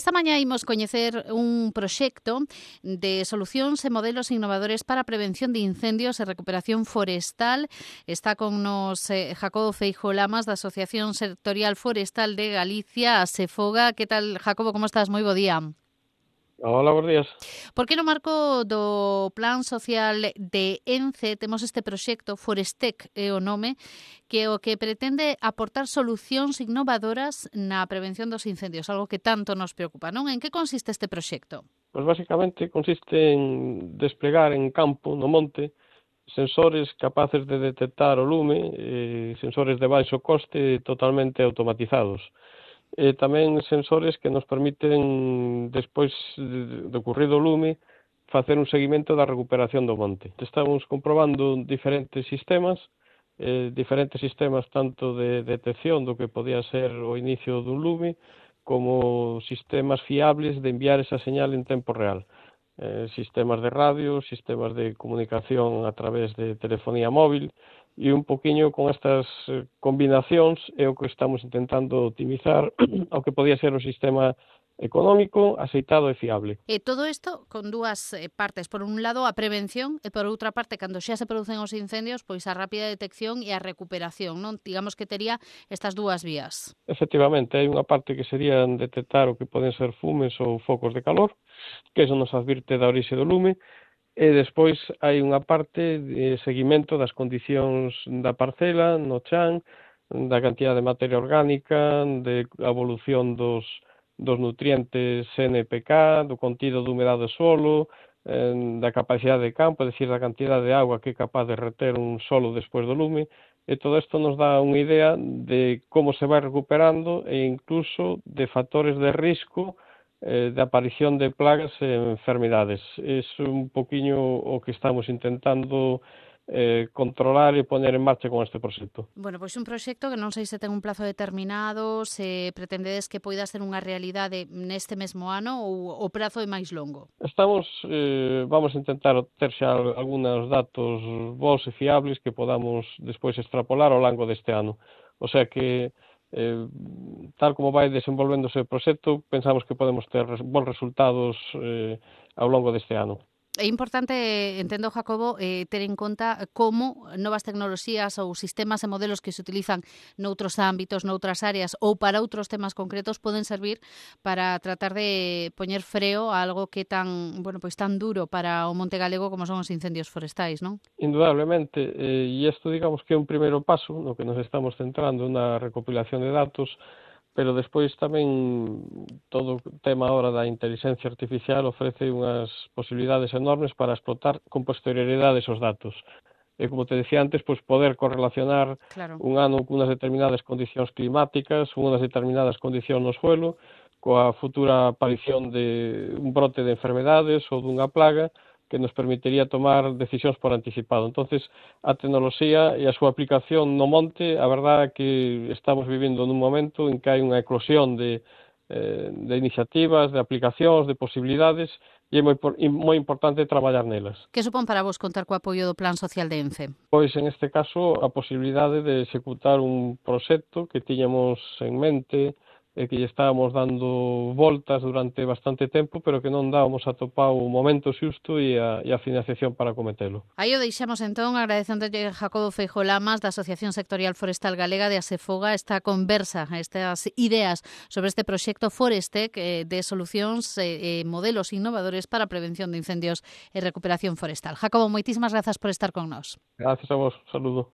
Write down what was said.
Esta mañá imos coñecer un proxecto de solucións e modelos innovadores para a prevención de incendios e recuperación forestal. Está con nos Jacobo Feijóo Lamas, da Asociación Sectorial Forestal de Galicia, ASEFOGA. Que tal, Jacobo, como estás? Moi bo día. Hola, buenos días. Por que no marco do Plan Social de ENCE temos este proxecto, Forestec é o nome, que o que pretende aportar solucións innovadoras na prevención dos incendios, algo que tanto nos preocupa, non? En que consiste este proxecto? Pues básicamente consiste en desplegar en campo, no monte, sensores capaces de detectar o lume, sensores de baixo coste totalmente automatizados. Tamén sensores que nos permiten, despois de ocurrido o lume, facer un seguimento da recuperación do monte. Estamos comprobando diferentes sistemas tanto de detección do que podía ser o inicio dun lume, como sistemas fiables de enviar esa señal en tempo real. Sistemas de radio, sistemas de comunicación a través de telefonía móvil, e un poquinho con estas combinacións é o que estamos intentando optimizar ao que podía ser o sistema económico, aceitado e fiable. E todo isto con dúas partes. Por un lado, a prevención, e por outra parte, cando xa se producen os incendios, pois a rápida detección e a recuperación, non? Digamos que tería estas dúas vías. Efectivamente, hai unha parte que sería detectar o que poden ser fumes ou focos de calor, que eso nos advirte da orixe do lume, e despois hai unha parte de seguimento das condicións da parcela, no chan, da cantidad de materia orgánica, de evolución dos nutrientes NPK, do contido de humedade do solo, da capacidade de campo, é dicir, da cantidad de agua que é capaz de reter un solo despois do lume, e todo isto nos dá unha idea de como se vai recuperando e incluso de factores de risco de aparición de plagas e enfermidades. É un poquinho o que estamos intentando controlar e poner en marcha con este proxecto. Bueno, pois un proxecto que non sei se ten un plazo determinado, se pretendedes que poida ser unha realidade neste mesmo ano ou o prazo é máis longo. Vamos a intentar ter xa algúns datos bons e fiables que podamos despois extrapolar ao longo deste ano. O sea que tal como vai desenvolvéndose o proxecto, pensamos que podemos ter bons resultados ao longo deste ano. É importante, entendo, Jacobo, ter en conta como novas tecnoloxías ou sistemas e modelos que se utilizan noutros ámbitos, noutras áreas ou para outros temas concretos poden servir para tratar de poñer freo a algo que tan, bueno, pois tan duro para o monte galego como son os incendios forestais, non? Indudablemente, e isto digamos que é un primeiro paso no que nos estamos centrando na recopilación de datos, pero despois tamén todo o tema ahora da inteligencia artificial ofrece unhas posibilidades enormes para explotar con posterioridade esos datos. E como te decía antes, pois poder correlacionar un ano con unhas determinadas condicións climáticas, unhas determinadas condicións no suelo, coa futura aparición de un brote de enfermedades ou dunha plaga, que nos permitiría tomar decisións por anticipado. Entonces, a tecnoloxía e a súa aplicación no monte, a verdade é que estamos vivindo nun momento en que hai unha eclosión de iniciativas, de aplicacións, de posibilidades, e é moi importante traballar nelas. Que supón para vos contar co apoio do Plan Social de ENCE? Pois, en este caso, a posibilidade de executar un proxecto que tiñamos en mente e que lle estábamos dando voltas durante bastante tempo, pero que non dábamos atopado o momento xusto e a financiación para cometelo. Aí o deixamos entón, agradecéndolle a Jacobo Feijóo Lamas, da Asociación Sectorial Forestal Galega de ASEFOGA, esta conversa, estas ideas sobre este proxecto Forestec de solucións e modelos innovadores para a prevención de incendios e recuperación forestal. Jacobo, moitísimas grazas por estar con nós. Gracias a vos, saludo.